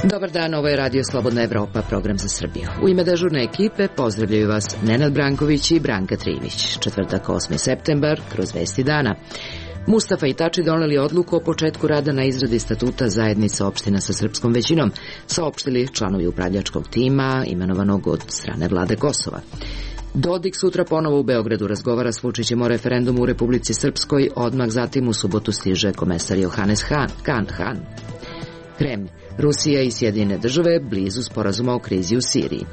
Dobar dan, ovo je Radio Slobodna Evropa, program za Srbiju. U ime dežurne ekipe pozdravljaju vas Nenad Branković i Branka Trimić. Četvrtak, 8. septembar, kroz vesti dana. Mustafa i Tači doneli odluku o početku rada na izradi statuta zajednice opština sa srpskom većinom, saopštili članovi upravljačkog tima imenovanog od strane vlade Kosova. Dodik sutra ponovo u Beogradu razgovara s Vučićem o referendumu u Republici Srpskoj, odmah zatim u subotu stiže komesar Johannes Hahn. Kremlj, Rusija i Sjedinjene države blizu sporazuma o krizi u Siriji.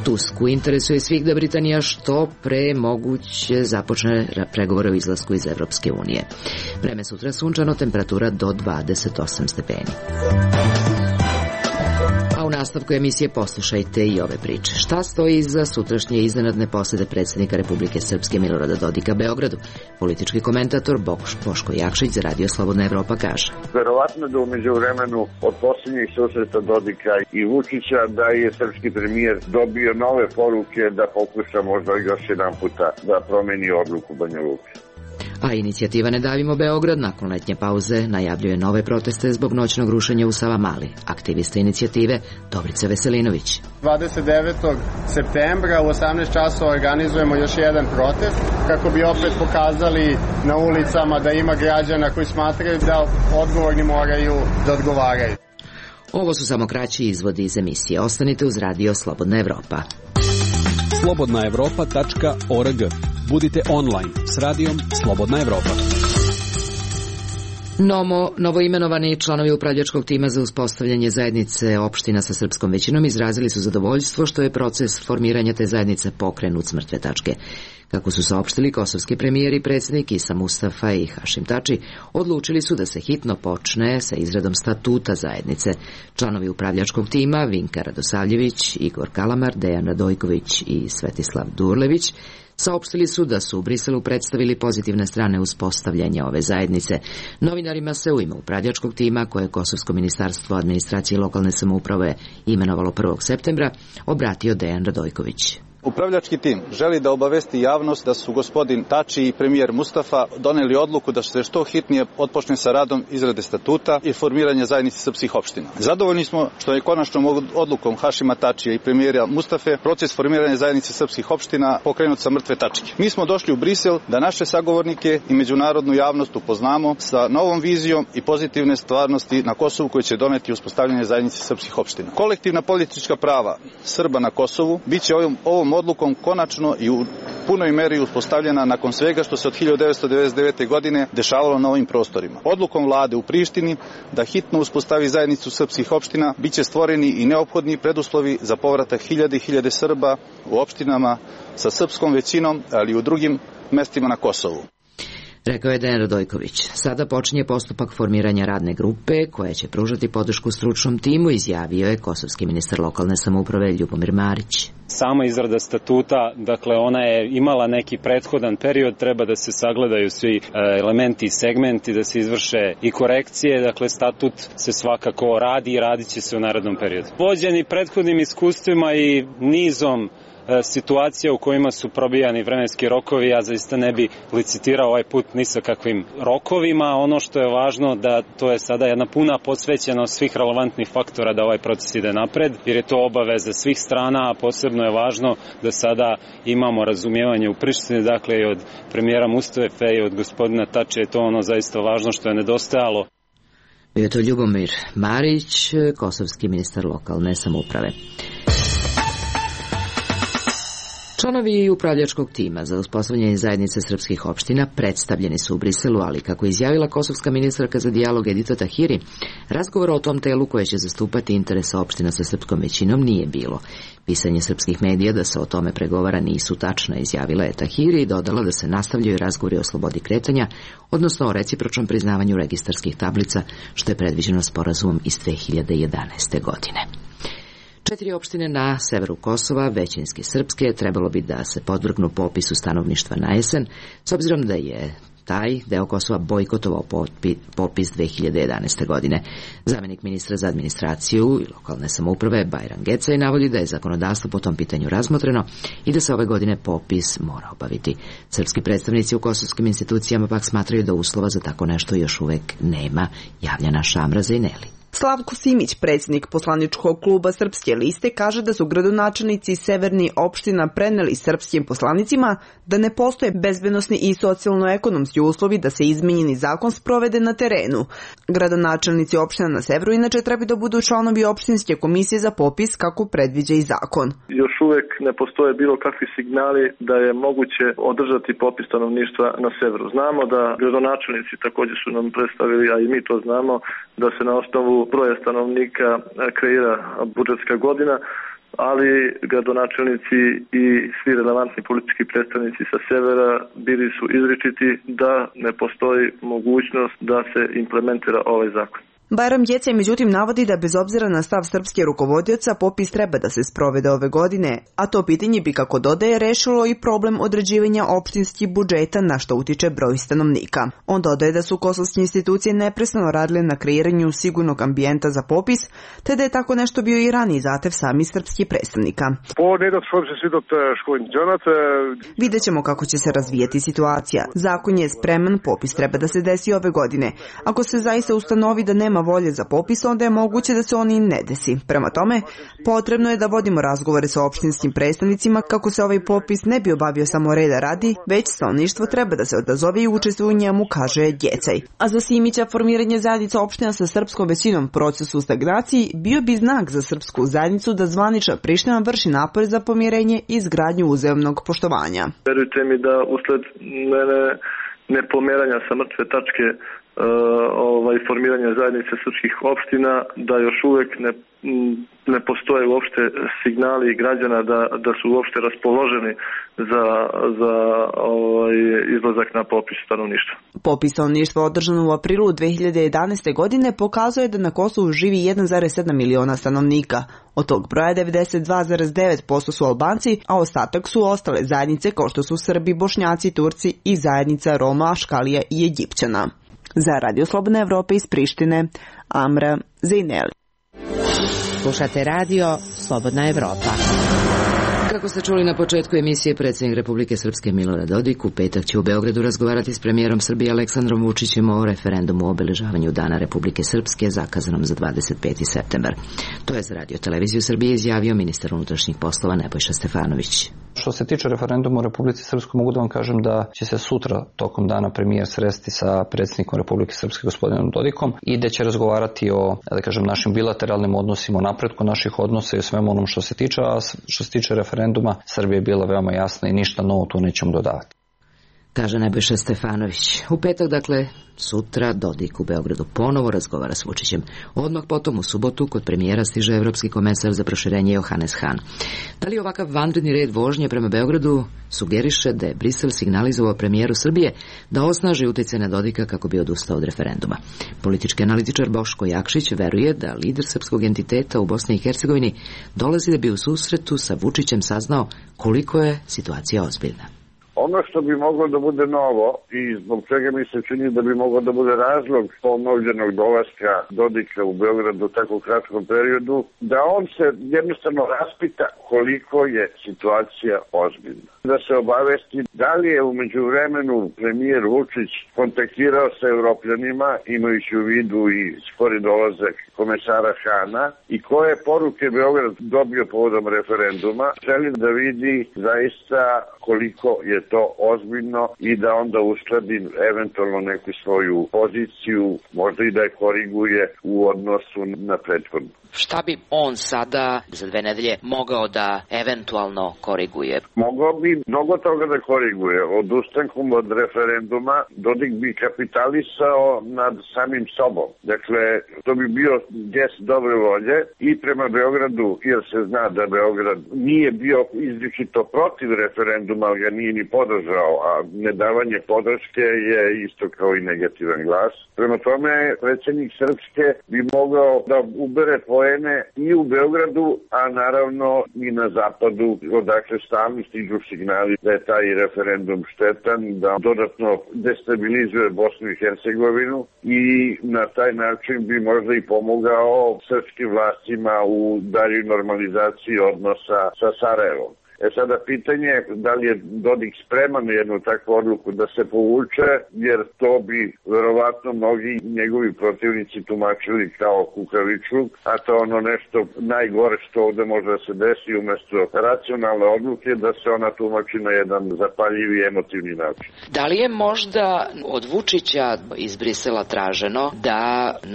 Tusku interesuje svih da Britanija što pre moguće započne pregovore o izlasku iz Evropske unije. Vreme sutra sunčano, temperatura do 28 stepeni. A u nastavku emisije poslušajte i ove priče. Šta stoji iza sutrašnje iznenadne posete predsjednika Republike Srpske Milorada Dodika Beogradu? Politički komentator Boško Jakšić za Radio Slobodna Evropa kaže: Verovatno da umeđu vremenu od posljednjih susreta Dodika i Vučića da je srpski premijer dobio nove poruke da pokuša možda još jedan puta da promeni odluku Banja Luke. A inicijativa Ne davimo Beograd nakon letnje pauze najavljuje nove proteste zbog noćnog rušenja u Savamali. Aktivista inicijative Dobrica Veselinović. 29. septembra u 18 časova organizujemo još jedan protest kako bi opet pokazali na ulicama da ima građana koji smatraju da odgovorni moraju da odgovaraju. Ovo su samo kraći izvodi iz emisije. Ostanite uz Radio Slobodna Evropa. slobodnaevropa.org. Budite online s radijom Slobodna Evropa. Novoimenovani članovi upravljačkog tima za uspostavljanje zajednice opština sa srpskom većinom izrazili su zadovoljstvo što je proces formiranja te zajednice pokrenut s mrtve tačke. Kako su saopštili kosovski premijer i predsjednik Isa Mustafa i Hašim Tači, odlučili su da se hitno počne sa izradom statuta zajednice. Članovi upravljačkog tima Vinka Radosavljević, Igor Kalamar, Dejan Radojković i Svetislav Durlević saopštili su da su u Briselu predstavili pozitivne strane uspostavljanja ove zajednice. Novinarima se u ime upravljačkog tima, koje je Kosovsko ministarstvo administracije i lokalne samouprave imenovalo 1. septembra, obratio Dejan Radojković. Upravljački tim želi da obavesti javnost da su gospodin Tači i premijer Mustafa doneli odluku da se što hitnije otpočne sa radom izrade statuta i formiranja zajednice srpskih opština. Zadovoljni smo što je konačnom odlukom Hašima Tačija i premijera Mustafe proces formiranja zajednice srpskih opština pokrenut sa mrtve tačke. Mi smo došli u Brisel da naše sagovornike i međunarodnu javnost upoznamo sa novom vizijom i pozitivne stvarnosti na Kosovu koji će doneti uspostavljanje zajednice srpskih opština. Kolektivna politička prava Srba na Kosovu biće ovom odlukom konačno i u punoj meri uspostavljena nakon svega što se od 1999. godine dešavalo na ovim prostorima. Odlukom vlade u Prištini da hitno uspostavi zajednicu srpskih opština biće stvoreni i neophodni preduslovi za povratak hiljade i hiljade Srba u opštinama sa srpskom većinom, ali i u drugim mestima na Kosovu. Rekao je Dejan Radojković. Sada počinje postupak formiranja radne grupe koja će pružati podršku stručnom timu, izjavio je kosovski ministar lokalne samouprave Ljubomir Marić. Sama izrada statuta, dakle ona je imala neki prethodan period, treba da se sagledaju svi elementi i segmenti, da se izvrše i korekcije, dakle statut se svakako radi i radit će se u narednom periodu. Vođeni prethodnim iskustvima i nizom situacija u kojima su probijani vremenski rokovi, ja zaista ne bi licitirao ovaj put ni sa kakvim rokovima. Ono što je važno da to je sada jedna puna posvećenost svih relevantnih faktora da ovaj proces ide napred, jer je to obaveza svih strana, a posebno je važno da sada imamo razumijevanje u Prištini, dakle i od premijera Mustafe i od gospodina Tače, je to ono zaista važno što je nedostajalo. Bio je to Ljubomir Marić, kosovski ministar lokalne samouprave. Članovi upravljačkog tima za uspostavljanje zajednice srpskih opština predstavljeni su u Briselu, ali kako je izjavila kosovska ministarka za dijalog Edita Tahiri, razgovora o tom telu koje će zastupati interese opština sa srpskom većinom nije bilo. Pisanje srpskih medija da se o tome pregovara nisu tačna, izjavila je Tahiri i dodala da se nastavljaju razgovori o slobodi kretanja, odnosno o recipročnom priznavanju registarskih tablica, što je predviđeno sporazumom iz 2011. godine. 4 opštine na severu Kosova, većinski srpske, trebalo bi da se podvrgnu popisu stanovništva na jesen, s obzirom da je taj deo Kosova bojkotovao popis 2011. godine. Zamjenik ministra za administraciju i lokalne samouprave Bajram Gecaj navodi da je zakonodavstvo po tom pitanju razmotreno i da se ove godine popis mora obaviti. Srpski predstavnici u kosovskim institucijama pak smatraju da uslova za tako nešto još uvek nema, javlja naša Amra Zejneli. Slavko Simić, predsjednik poslaničkog kluba Srpske liste, kaže da su gradonačelnici severnih opština preneli srpskim poslanicima da ne postoje bezbednosni i socijalno-ekonomski uslovi da se izmenjeni zakon sprovede na terenu. Gradonačelnici opština na severu inače treba da budu članovi opštinske komisije za popis kako predviđa i zakon. Još uvek ne postoje bilo kakvi signali da je moguće održati popis stanovništva na severu. Znamo da gradonačelnici također su nam predstavili, a i mi to znamo, da se na osnovu broja stanovnika kreira budžetska godina, ali gradonačelnici i svi relevantni politički predstavnici sa severa bili su izričiti da ne postoji mogućnost da se implementira ovaj zakon. Bajram Gecaj međutim navodi da bez obzira na stav srpske rukovodioca popis treba da se sprovede ove godine, a to pitanje bi, kako dodaje, rešilo i problem određivanja opštinskih budžeta na što utiče broj stanovnika. On dodaje da su kosovske institucije neprestano radile na kreiranju sigurnog ambijenta za popis, te da je tako nešto bio i raniji zahtev samih srpskih predstavnika. Vidjet ćemo kako će se razvijati situacija. Zakon je spreman, popis treba da se desi ove godine. Ako se zaista ustanovi da nema volje za popis, onda je moguće da se on i ne desi. Prema tome, potrebno je da vodimo razgovore sa opštinskim predstavnicima kako se ovaj popis ne bi obavio samo reda radi, već stanovništvo treba da se odazove i učestvuje u njemu, kaže Gecaj. A za Simića formiranje zajednica opština sa srpskom većinom procesu u stagnaciji bio bi znak za srpsku zajednicu da zvanična Priština vrši napore za pomirenje i izgradnju uzajamnog poštovanja. Verujte mi da usled nepomeranja sa mrtve tačke formiranja zajednice srpskih opština, da još uvek ne postoje uopšte signali građana da su uopšte raspoloženi za izlazak na popis stanovništva. Popis stanovništva održan u aprilu 2011. godine pokazuje da na Kosovu živi 1,7 miliona stanovnika. Od tog broja 92,9% su Albanci, a ostatak su ostale zajednice kao što su Srbi, Bošnjaci, Turci i zajednica Roma, Škalija i Egipćana. Za Radio Slobodna Evropa iz Prištine, Amra Zejneli. Slušate Radio Slobodna Evropa. Kako ste čuli na početku emisije, predsjednik Republike Srpske Milorad Dodik u petak će u Beogradu razgovarati s premijerom Srbije Aleksandrom Vučićem o referendumu o obeležavanju Dana Republike Srpske zakazanom za 25. septembar. To je za Radio Televiziju Srbije izjavio ministar unutrašnjih poslova Nebojša Stefanović. Što se tiče referenduma u Republici Srpskoj, mogu da vam kažem da će se sutra tokom dana premijer sresti sa predsjednikom Republike Srpske gospodinom Dodikom i da će razgovarati o, našim bilateralnim odnosima, o napretku naših odnosa i o svemu onom što se tiče, a što se tiče referenduma, Srbija je bila veoma jasna i ništa novo tu nećemo dodavati. Kaže Nebojša Stefanović. U petak, sutra, Dodik u Beogradu ponovo razgovara s Vučićem. Odmah potom u subotu kod premijera stiže evropski komesar za proširenje Johannes Hahn. Da li ovakav vanredni red vožnje prema Beogradu sugeriše da je Brisel signalizovao premijeru Srbije da osnaži utjecaj na Dodika kako bi odustao od referenduma? Politički analitičar Boško Jakšić veruje da lider srpskog entiteta u Bosni i Hercegovini dolazi da bi u susretu sa Vučićem saznao koliko je situacija ozbiljna. Ono što bi moglo da bude novo i zbog čega mi se čini da bi moglo da bude razlog ponovljenog dolaska Dodika u Beogradu u tako kratkom periodu, da on se jednostavno raspita koliko je situacija ozbiljna. Da se obavesti da li je umeđu vremenu premijer Vučić kontaktirao sa Evropljanima, imajući u vidu i skori dolazak komesara Hana, i koje poruke Beograd dobio povodom referenduma. Želim da vidi zaista koliko je to ozbiljno i da onda uskladi eventualno neku svoju poziciju, možda i da je koriguje u odnosu na prethodnu. Šta bi on sada za 2 nedelje mogao da eventualno koriguje? Mogao bi mnogo toga da koriguje. Odustankom od referenduma Dodik bi kapitalisao nad samim sobom. Dakle, to bi bio gest dobre volje i prema Beogradu, jer se zna da Beograd nije bio izričito protiv referenduma, ali ga nije ni podržao, a nedavanje podrške je isto kao i negativan glas. Prema tome, predsjednik Srpske bi mogao da ubere poene i u Beogradu, a naravno i na zapadu, odakle stalno stižu signali da je taj referendum štetan, da dodatno destabilizuje Bosnu i Hercegovinu i na taj način bi možda i pomogao srpskim vlastima u daljoj normalizaciji odnosa sa Sarajevom. Sada pitanje je da li je Dodik spreman na jednu takvu odluku da se povuče, jer to bi verovatno mnogi njegovi protivnici tumačili kao kukavičluk, a to ono nešto najgore što ovde može da se desi, umesto racionalne odluke da se ona tumači na jedan zapaljivi emotivni način. Da li je možda od Vučića iz Brisela traženo da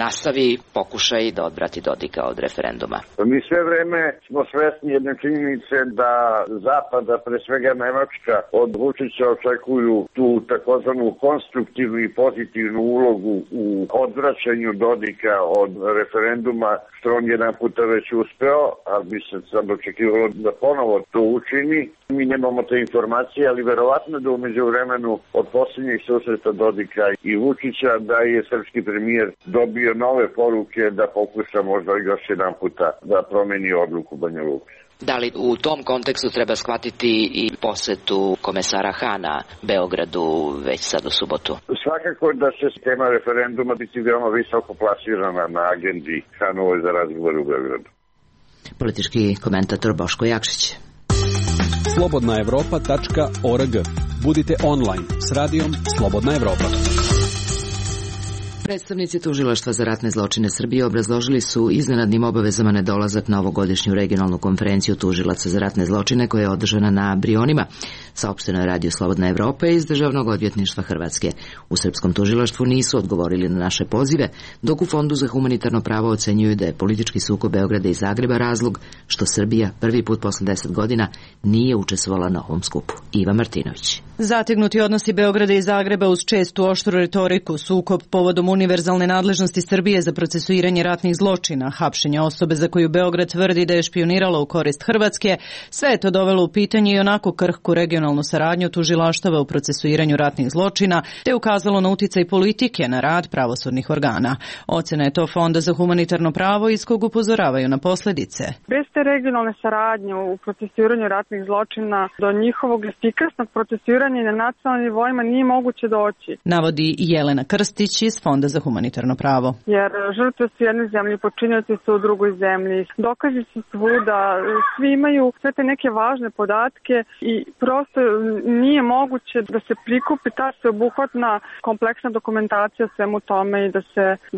nastavi pokušaj da odvrati Dodika od referenduma? Mi sve vreme smo svesni jedne činjenice da Zapada, pre svega Nemačka, od Vučića očekuju tu takozvanu konstruktivnu i pozitivnu ulogu u odvraćanju Dodika od referenduma, što on jedan puta već uspeo, ali bi se sad očekivalo da ponovo to učini. Mi nemamo te informacije, ali verovatno da umeđu vremenu od posljednjih susreta Dodika i Vučića da je srpski premijer dobio nove poruke da pokuša možda još jedan puta da promeni odluku Banja Luka. Da li u tom kontekstu treba shvatiti i posetu komesara Hana Beogradu već sad u subotu? Svakako da će tema referenduma biti veoma visoko plasirana na agendi Hanove za razgovor u Beogradu. Politički komentator Boško Jakšić. slobodnaevropa.org. Budite online s radijom Slobodna Evropa. Predstavnici Tužilaštva za ratne zločine Srbije obrazložili su iznenadnim obavezama nedolazak na ovogodišnju regionalnu konferenciju tužilaca za ratne zločine koja je održana na Brionima, saopšteno je Radio Slobodna Evropa iz Državnog odvjetništva Hrvatske. U srpskom tužilaštvu nisu odgovorili na naše pozive, dok u Fondu za humanitarno pravo ocenjuju da je politički sukob Beograda i Zagreba razlog što Srbija prvi put posle 10 godina nije učestvovala na ovom skupu. Iva Martinović. Zategnuti odnosi Beograda i Zagreba uz čestu oštru retoriku, sukob povodom univerzalne nadležnosti Srbije za procesuiranje ratnih zločina, hapšenja osobe za koju Beograd tvrdi da je špionirala u korist Hrvatske, sve je to dovelo u pitanje i onako krhku regionalnu saradnju tužilaštava u procesuiranju ratnih zločina, te ukazalo na uticaj politike na rad pravosudnih organa. Ocena je to Fonda za humanitarno pravo iz kog upozoravaju na posljedice. Bez te regionalne saradnje u procesuiranju ratnih zločina do njihovog efikasnog procesuiranja na nacionalnim nivoima nije moguće doći. Navodi Jelena Krstić iz Fonda za humanitarno pravo. Jer žrtve su u jednoj zemlji, počinioci su u drugoj zemlji. Dokazi su svuda, svi imaju sve te neke važne podatke i prosto nije moguće da se prikupi ta sveobuhvatna kompleksna dokumentacija svemu tome i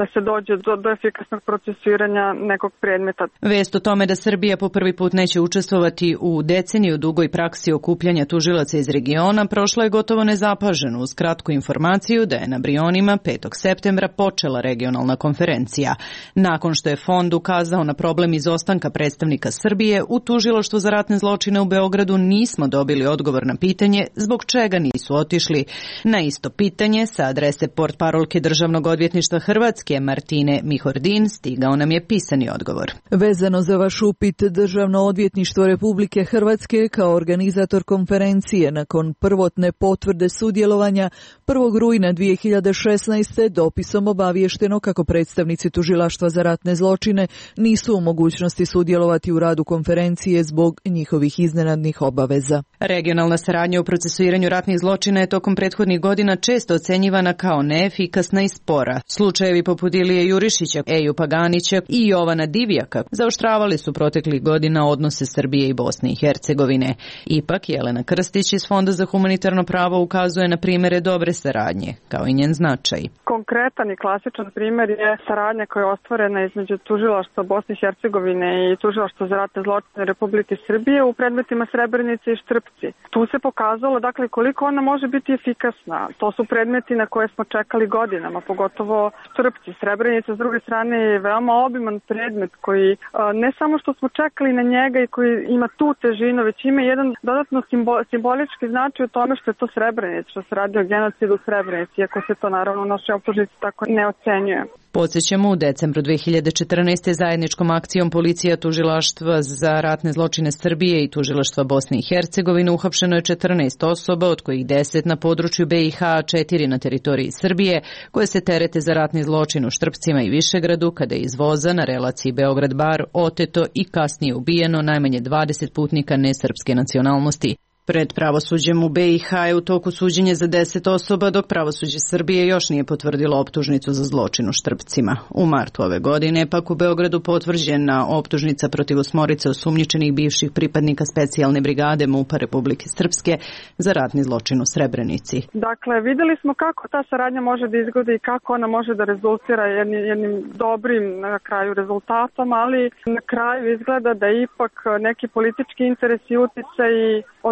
da se dođe do efikasnog procesuiranja nekog predmeta. Vest o tome da Srbija po prvi put neće učestvovati u deceniju dugoj praksi okupljanja tužilaca iz regiona prošla je gotovo nezapaženo uz kratku informaciju da je na Brionima 5. septembra počela regionalna konferencija. Nakon što je Fond ukazao na problem izostanka predstavnika Srbije, u Tužilaštvu za ratne zločine u Beogradu nismo dobili odgovor na pitanje zbog čega nisu otišli. Na isto pitanje sa adrese portparolke Državnog odvjetništva Hrvatske Martine Mihordin stigao nam je pisani odgovor. Vezano za vaš upit, Državno odvjetništvo Republike Hrvatske kao organizator konferencije nakon prvotne potvrde sudjelovanja 1. rujna 2016. dopisom obavješteno kako predstavnici Tužilaštva za ratne zločine nisu u mogućnosti sudjelovati u radu konferencije zbog njihovih iznenadnih obaveza. Regionalna saradnja u procesuiranju ratnih zločina je tokom prethodnih godina često ocenjivana kao neefikasna i spora. Slučajevi poput Ilije Jurišića, Eju Paganića i Jovana Divjaka zaoštravali su proteklih godina odnose Srbije i Bosne i Hercegovine. Ipak Jelena Krstić iz Fonda za humanitarno pravo ukazuje na primjere dobre saradnje, kao i njen značaj. Konkretan i klasičan primjer je saradnja koja je ostvarena između Tužilaštva Bosne i Hercegovine i Tužilaštva za ratne zločine Republike Srbije u predmetima Srebrenice i Štrpci. Tu se pokazalo koliko ona može biti efikasna. To su predmeti na koje smo čekali godinama, pogotovo Štrpci. Srebrenica s druge strane je veoma obiman predmet koji ne samo što smo čekali na njega i koji ima tu težinu, već ima jedan dodatno simbolički značaj u tome što je to Srebrenica, što se radi o genocidu u Srebrenici, iako se to naravno u našoj optužnici tako ne ocenjuje. Podsjećamo, u decembru 2014. zajedničkom akcijom policija, tužilaštva za ratne zločine Srbije i tužilaštva Bosne i Hercegovine uhapšeno je 14 osoba, od kojih 10 na području BiH, a 4 na teritoriji Srbije, koje se terete za ratni zločin u Štrpcima i Višegradu, kada je iz voza na relaciji Beograd-Bar oteto i kasnije ubijeno najmanje 20 putnika nesrpske nacionalnosti. Pred pravosuđem u BiH je u toku suđenje za 10 osoba, dok pravosuđe Srbije još nije potvrdilo optužnicu za zločin u Štrpcima. U martu ove godine pak u Beogradu potvrđena optužnica protiv 8 osumnjičenih bivših pripadnika specijalne brigade MUP-a Republike Srpske za ratni zločin u Srebrenici. Dakle, videli smo kako ta saradnja može da izgleda i kako ona može da rezultira jednim dobrim na kraju rezultatom, ali na kraju izgleda da ipak neki politički interes i uticaj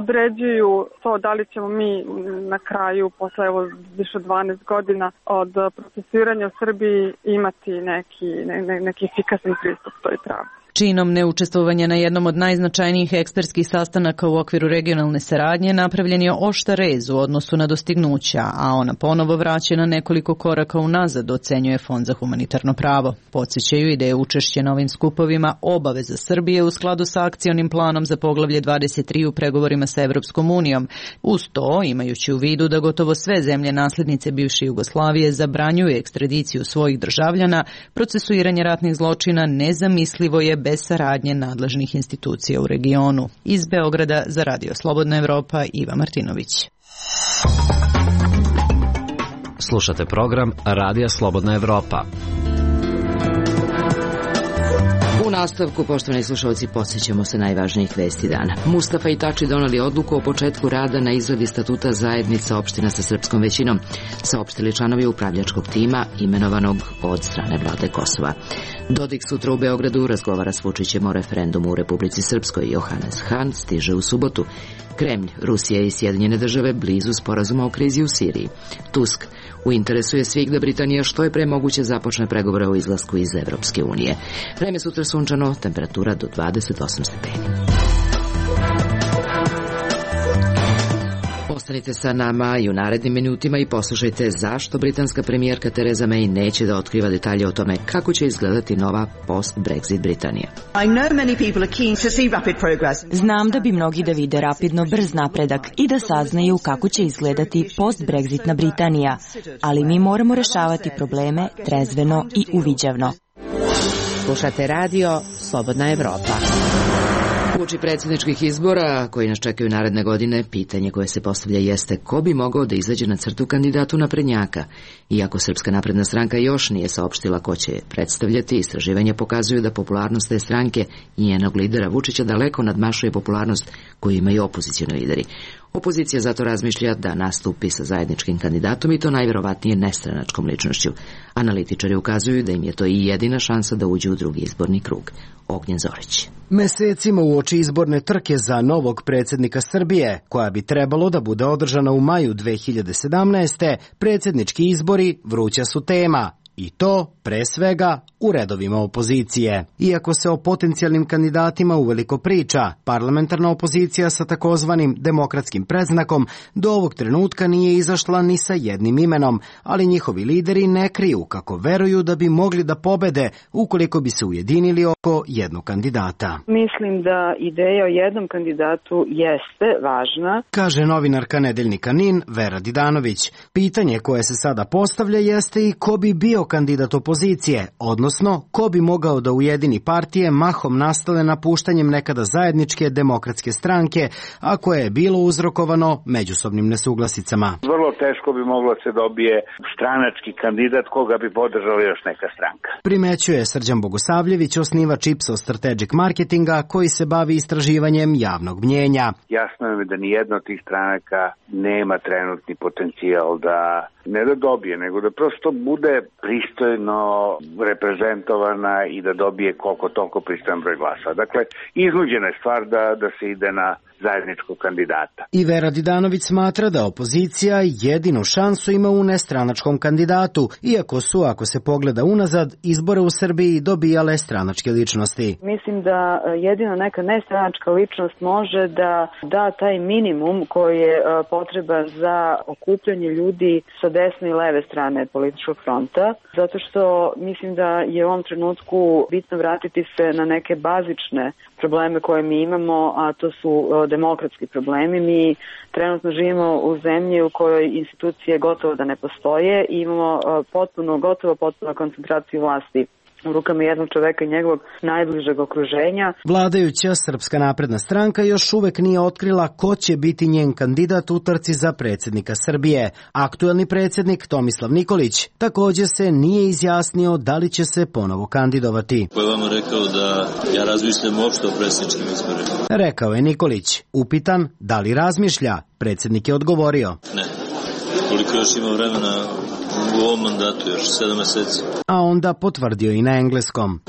određuju to da li ćemo mi na kraju, posle više 12 godina od procesuiranja u Srbiji, imati neki efikasan pristup toj pravdi. Činom neučestvovanja na jednom od najznačajnijih ekspertskih sastanaka u okviru regionalne saradnje napravljen je oštar rez u odnosu na dostignuća, a ona ponovo vraćena nekoliko koraka unazad, ocenjuje Fond za humanitarno pravo. Podsjećaju i da je učešće na ovim skupovima obaveza Srbije u skladu sa akcionim planom za poglavlje 23 u pregovorima sa Evropskom unijom. Uz to, imajući u vidu da gotovo sve zemlje naslednice bivše Jugoslavije zabranjuju ekstradiciju svojih državljana, procesuiranje ratnih zločina nezamislivo je bez saradnje nadležnih institucija u regionu. Iz Beograda za Radio Slobodna Evropa, Iva Martinović. Slušate program Radija Slobodna Evropa. U nastavku, poštovani slušalci, podsjećamo se najvažnijih vesti dana. Mustafa i Tači doneli odluku o početku rada na izradi statuta zajednica opština sa srpskom većinom, saopštili članovi upravljačkog tima imenovanog od strane vlade Kosova. Dodik sutra u Beogradu razgovara s Vučićem o referendumu u Republici Srpskoj. Johannes Hahn stiže u subotu. Kremlj, Rusija i Sjedinjene države blizu sporazuma o krizi u Siriji. Tusk: u interesu je svih da Britanija što je pre moguće započne pregovore o izlasku iz Evropske unije. Vreme sutra sunčano, temperatura do 28 stepeni. Ostanite sa nama i u narednim minutima i poslušajte zašto britanska premijerka Theresa May neće da otkriva detalje o tome kako će izgledati nova post-Brexit Britanija. Znam da bi mnogi da vide rapidno brz napredak i da saznaju kako će izgledati post-Brexitna Britanija, ali mi moramo rešavati probleme trezveno i uviđavno. Slušate radio Slobodna Evropa. Uoči predsjedničkih izbora koji nas čekaju naredne godine, pitanje koje se postavlja jeste ko bi mogao da izađe na crtu kandidatu naprednjaka. Iako Srpska napredna stranka još nije saopštila ko će je predstavljati, istraživanja pokazuju da popularnost te stranke i njenog lidera Vučića daleko nadmašuje popularnost koju imaju opozicioni lideri. Opozicija zato razmišlja da nastupi sa zajedničkim kandidatom i to najverovatnije nestranačkom ličnošću. Analitičari ukazuju da im je to i jedina šansa da uđu u drugi izborni krug. Ognjen Zorić. Mesecima uoči izborne trke za novog predsjednika Srbije, koja bi trebalo da bude održana u maju 2017. predsjednički izbori vruća su tema. I to, pre svega, u redovima opozicije. Iako se o potencijalnim kandidatima uveliko priča, parlamentarna opozicija sa takozvanim demokratskim predznakom do ovog trenutka nije izašla ni sa jednim imenom, ali njihovi lideri ne kriju kako veruju da bi mogli da pobede ukoliko bi se ujedinili oko jednog kandidata. Mislim da ideja o jednom kandidatu jeste važna, kaže novinarka nedeljnika NIN Vera Didanović. Pitanje koje se sada postavlja jeste i ko bi bio kandidat opozicije, odnosno ko bi mogao da ujedini partije mahom nastale napuštanjem nekada zajedničke demokratske stranke, a koje je bilo uzrokovano međusobnim nesuglasicama. Vrlo teško bi moglo se dobije stranački kandidat koga bi podržala još neka stranka. Primećuje Srđan Bogosavljević, osnivač Ipsos Strategic Marketinga, koji se bavi istraživanjem javnog mnjenja. Jasno je da ni jedna od tih stranaka nema trenutni potencijal da ne da dobije, nego da prosto bude pristojno reprezentovana i da dobije koliko toliko pristojan broj glasa. Dakle, iznuđena je stvar da se ide na zajedničkog kandidata. I Vera Didanović smatra da opozicija jedinu šansu ima u nestranačkom kandidatu, iako su, ako se pogleda unazad, izbore u Srbiji dobijale stranačke ličnosti. Mislim da jedino neka nestranačka ličnost može da da taj minimum koji je potreban za okupljanje ljudi sa desne i leve strane političkog fronta, zato što mislim da je u ovom trenutku bitno vratiti se na neke bazične probleme koje mi imamo, a to su demokratski problemi. Mi trenutno živimo u zemlji u kojoj institucije gotovo da ne postoje i imamo potpuno koncentraciju vlasti u rukama jednog čoveka i njegovog najbližeg okruženja. Vladajuća Srpska napredna stranka još uvek nije otkrila ko će biti njen kandidat u trci za predsjednika Srbije. Aktuelni predsjednik Tomislav Nikolić također se nije izjasnio da li će se ponovo kandidovati. Ko je vama rekao da ja razmišljam uopšte o predsjedničkim izborima? Rekao je Nikolić. Upitan da li razmišlja, predsjednik je odgovorio. Ne. Koliko još ima vremena u ovom mandatu, još 7 meseci. A onda potvrdio i na engleskom.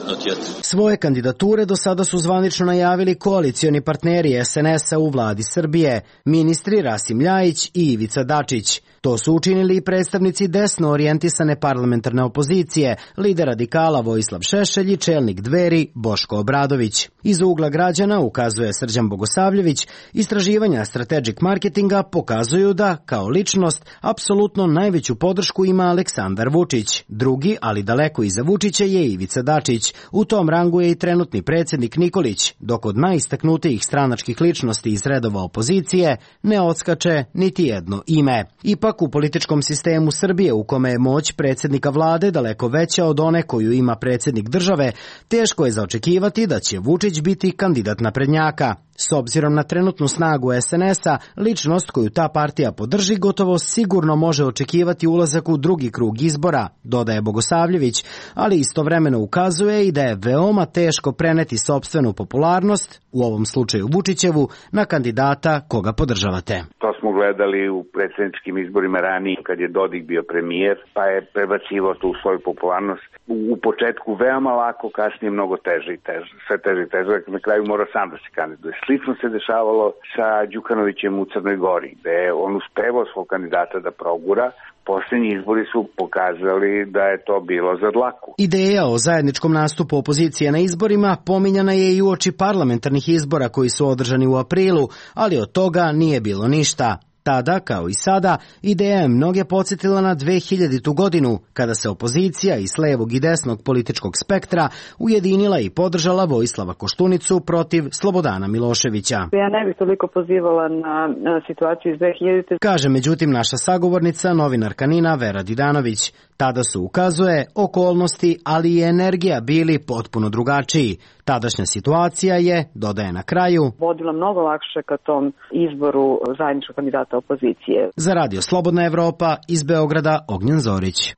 Svoje kandidature do sada su zvanično najavili koalicioni partneri SNS-a u vladi Srbije, ministri Rasim Ljajić i Ivica Dačić. To su učinili i predstavnici desno orijentisane parlamentarne opozicije, lider radikala Vojislav Šešelj i čelnik Dveri Boško Obradović. Iz ugla građana, ukazuje Srđan Bogosavljević, istraživanja Strategic Marketinga pokazuju da, kao ličnost, apsolutno najveću podršku ima Aleksandar Vučić. Drugi, ali daleko iza Vučića, je Ivica Dačić. U tom rangu je i trenutni predsjednik Nikolić, dok od najistaknutijih stranačkih ličnosti iz redova opozicije ne odskače niti jedno ime. Ipak u političkom sistemu Srbije, u kome je moć predsjednika vlade daleko veća od one koju ima predsjednik države, teško je zaočekivati da će Vučić biti kandidat naprednjaka. S obzirom na trenutnu snagu SNS-a, ličnost koju ta partija podrži gotovo sigurno može očekivati ulazak u drugi krug izbora, dodaje Bogosavljević, ali istovremeno ukazuje i da je veoma teško preneti sopstvenu popularnost, u ovom slučaju Vučićevu, na kandidata koga podržavate. To smo gledali u predsjedničkim izborima ranije, kad je Dodik bio premijer, pa je prebacivao tu svoju popularnost. U početku veoma lako, kasnije mnogo teže i teže, sve teže i teže, na kraju mora sam da se kandiduje. Slično se dešavalo sa Đukanovićem u Crnoj Gori, gde je on uspevao svog kandidata da progura. Posljednji izbori su pokazali da je to bilo za dlaku. Ideja o zajedničkom nastupu opozicije na izborima pominjana je i uoči parlamentarnih izbora koji su održani u aprilu, ali od toga nije bilo ništa. Tada, kao i sada, ideja je mnoge podsjetila na 2000. godinu, kada se opozicija iz levog i desnog političkog spektra ujedinila i podržala Vojislava Koštunicu protiv Slobodana Miloševića. Ja ne bih toliko pozivala na situaciju iz 2000. Kaže međutim naša sagovornica, novinarka Nina Vera Didanović. Tada su, ukazuje, okolnosti, ali i energija bili potpuno drugačiji. Tadašnja situacija je, dodaje na kraju, vodila mnogo lakše ka tom izboru zajedničkog kandidata opozicije. Za Radio Slobodna Evropa, iz Beograda, Ognjen Zorić.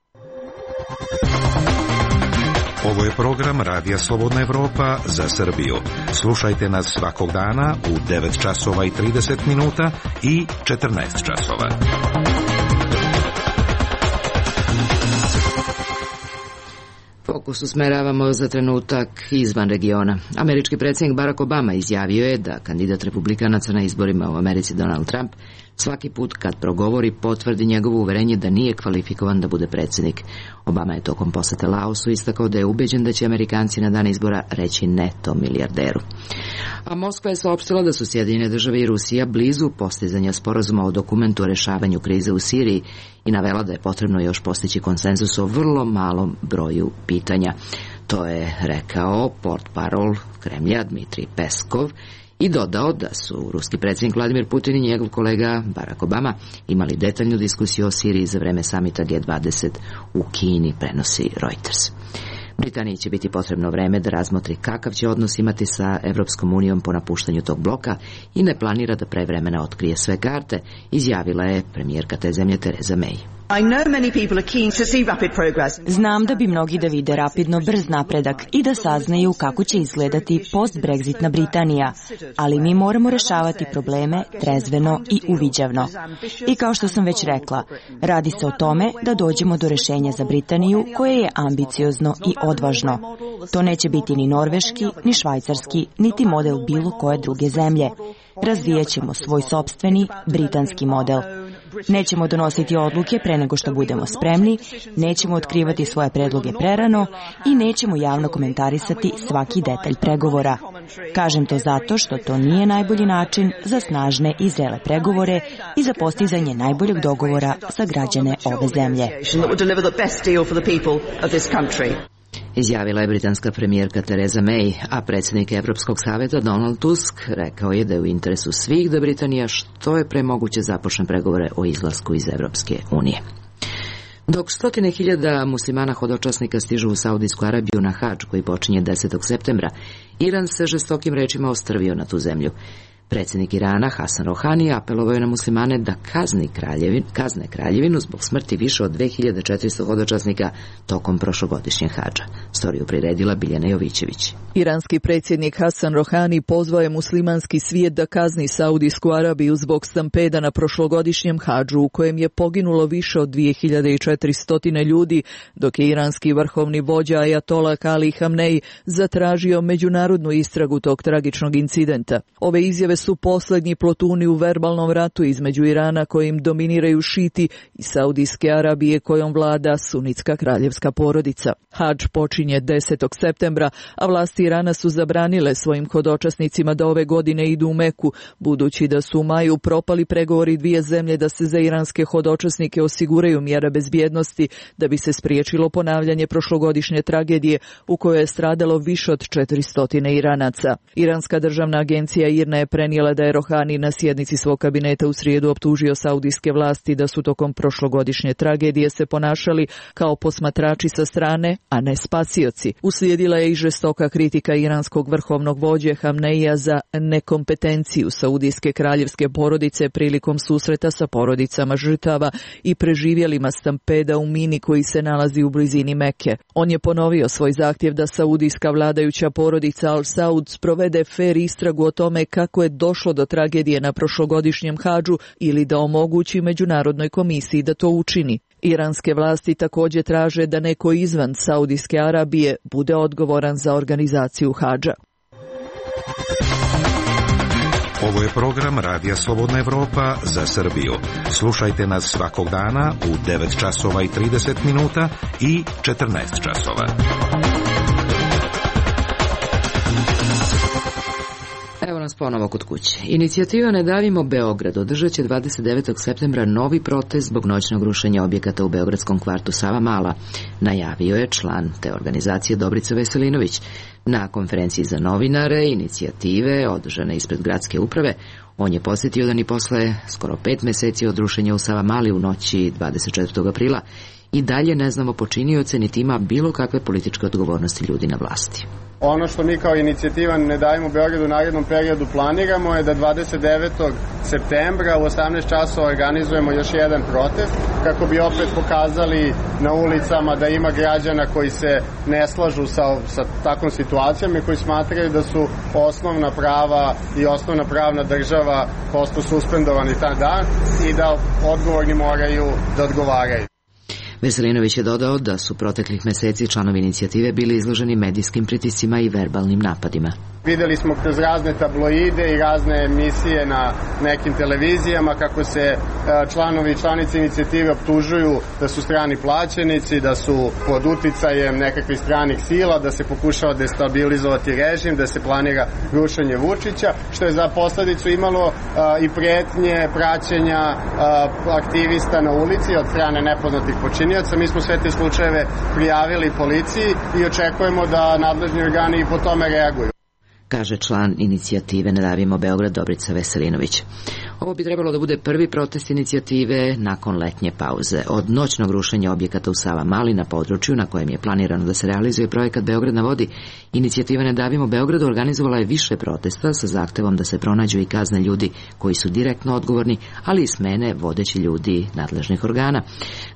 Ovo je program Radija Slobodna Evropa za Srbiju. Slušajte nas svakog dana u 9 časova i 30 minuta i 14 časova. Fokus usmeravamo za trenutak izvan regiona. Američki predsjednik Barack Obama izjavio je da kandidat republikanaca na izborima u Americi Donald Trump svaki put kad progovori potvrdi njegovo uverenje da nije kvalifikovan da bude predsjednik. Obama je tokom posete Laosu istakao da je ubeđen da će Amerikanci na dan izbora reći ne tom milijarderu. A Moskva je saopštila da su Sjedinjene države i Rusija blizu postizanja sporazuma o dokumentu o rešavanju krize u Siriji i navela da je potrebno još postići konsenzus o vrlo malom broju pitanja. To je rekao portparol Kremlja Dmitrij Peskov i dodao da su ruski predsjednik Vladimir Putin i njegov kolega Barack Obama imali detaljnu diskusiju o Siriji za vreme samita G20 u Kini, prenosi Reuters. Britaniji će biti potrebno vreme da razmotri kakav će odnos imati sa Evropskom unijom po napuštanju tog bloka i ne planira da pre vremena otkrije sve karte, izjavila je premijerka te zemlje Theresa May. Znam da bi mnogi da vide rapidno brz napredak i da saznaju kako će izgledati post-Brexitna Britanija, ali mi moramo rešavati probleme trezveno i uviđavno. I kao što sam već rekla, radi se o tome da dođemo do rešenja za Britaniju koje je ambiciozno i odvažno. To neće biti ni norveški, ni švajcarski, niti model bilo koje druge zemlje. razvijat ćemo svoj sopstveni britanski model. Nećemo donositi odluke pre nego što budemo spremni, nećemo otkrivati svoje predloge prerano i nećemo javno komentarisati svaki detalj pregovora. Kažem to zato što to nije najbolji način za snažne i zrele pregovore i za postizanje najboljeg dogovora za građane ove zemlje. Izjavila je britanska premijerka Theresa May, a predsjednik Evropskog savjeta Donald Tusk rekao je da je u interesu svih da Britanija što je pre moguće započne pregovore o izlasku iz Evropske unije. Dok 100.000 muslimana hodočasnika stižu u Saudijsku Arabiju na hadž koji počinje 10. septembra, Iran se žestokim rečima ostrvio na tu zemlju. Predsjednik Irana Hasan Rohani apelovao je na muslimane da kazne kraljevinu zbog smrti više od 2400 hodočasnika tokom prošlogodišnjeg hadža. Storiju priredila Biljana Jovićević. Iranski predsjednik Hasan Rohani pozvao je muslimanski svijet da kazni Saudijsku Arabiju zbog stampeda na prošlogodišnjem hadžu u kojem je poginulo više od 2400 ljudi, dok je iranski vrhovni vođa Ajatola Ali Hamnej zatražio međunarodnu istragu tog tragičnog incidenta. Ove izjave su posljednji plotuni u verbalnom ratu između Irana kojim dominiraju šiti i Saudijske Arabije kojom vlada sunitska kraljevska porodica. Hadž počinje 10. septembra, a vlasti Irana su zabranile svojim hodočasnicima da ove godine idu u Meku, budući da su u maju propali pregovori dvije zemlje da se za iranske hodočasnike osiguraju mjere bezbjednosti da bi se spriječilo ponavljanje prošlogodišnje tragedije u kojoj je stradalo više od 400 Iranaca. Iranska državna agencija IRNA je prenijela da je Rohani na sjednici svog kabineta u srijedu optužio saudijske vlasti da su tokom prošlogodišnje tragedije se ponašali kao posmatrači sa strane, a ne spasioci. Uslijedila je i žestoka kritika iranskog vrhovnog vođe Hamneija za nekompetenciju saudijske kraljevske porodice prilikom susreta sa porodicama žrtava i preživjelima stampeda u mini koji se nalazi u blizini Mekke. On je ponovio svoj zahtjev da saudijska vladajuća porodica Al Saud sprovede fer istragu o tome kako je došlo do tragedije na prošlogodišnjem hadžu ili da omogući Međunarodnoj komisiji da to učini. Iranske vlasti također traže da neko izvan Saudijske Arabije bude odgovoran za organizaciju hadža. Ovo je program Radija Slobodna Evropa za Srbiju. Slušajte nas svakog dana u 9 časova i 30 minuta i 14 časova. Evo nas ponovo kod kuće. Inicijativa Ne davimo Beograd održat će 29. septembra novi protest zbog noćnog rušenja objekata u beogradskom kvartu Savamala, najavio je član te organizacije Dobrica Veselinović. Na konferenciji za novinare inicijative održane ispred gradske uprave, on je podsjetio da ni posle skoro 5 meseci od rušenja u Savamali u noći 24. aprila i dalje ne znamo počinioce niti ima bilo kakve političke odgovornosti ljudi na vlasti. Ono što mi kao inicijativa Ne davimo Beograd u narednom periodu planiramo je da 29. septembra u 18 časova organizujemo još jedan protest kako bi opet pokazali na ulicama da ima građana koji se ne slažu sa takvom situacijom i koji smatraju da su osnovna prava i osnovna pravna država prosto suspendovani taj dan i da odgovorni moraju da odgovaraju. Veselinović je dodao da su proteklih meseci članovi inicijative bili izloženi medijskim pritiscima i verbalnim napadima. Videli smo kroz razne tabloide i razne emisije na nekim televizijama kako se članovi i članice inicijative optužuju da su strani plaćenici, da su pod uticajem nekakvih stranih sila, da se pokušava destabilizovati režim, da se planira rušenje Vučića, što je za posledicu imalo i pretnje praćenja aktivista na ulici od strane nepoznatih počinioca. Mi smo sve te slučajeve prijavili policiji i očekujemo da nadležni organi i po tome reaguju, kaže član inicijative Ne davimo Beograd Dobrica Veselinović. Ovo bi trebalo da bude prvi protest inicijative nakon letnje pauze. Od noćnog rušenja objekata u Savamali na području na kojem je planirano da se realizuje projekat Beograd na vodi, inicijativa Ne davimo Beograd organizovala je više protesta sa zahtevom da se pronađu i kazne ljudi koji su direktno odgovorni, ali i smene vodeći ljudi nadležnih organa.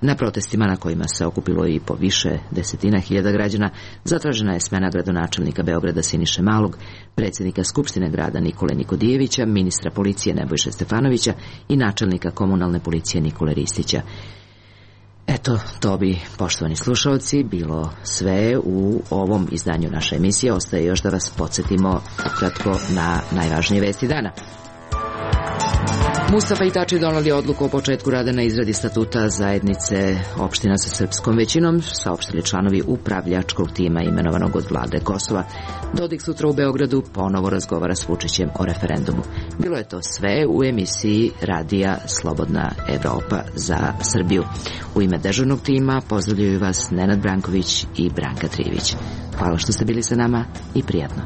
Na protestima na kojima se okupilo i po više desetina hiljada građana zatražena je smena gradonačelnika Beograda Siniše Malog, predsjednika Skupštine grada Nikole Nikodijevića, ministra policije Nebojše Stefanovića i načelnika komunalne policije Nikole Ristića. Eto, to bi, poštovani slušalci, bilo sve u ovom izdanju naše emisije. Ostaje još da vas podsjetimo kratko na najvažnije vesti dana. Mustafa i Tači doneli odluku o početku rada na izradi statuta zajednice opština sa srpskom većinom, saopštili članovi upravljačkog tima imenovanog od vlade Kosova. Dodik sutra u Beogradu ponovo razgovara s Vučićem o referendumu. Bilo je to sve u emisiji Radija Slobodna Evropa za Srbiju. U ime dežurnog tima pozdravljaju vas Nenad Branković i Branka Trivić. Hvala što ste bili sa nama i prijatno.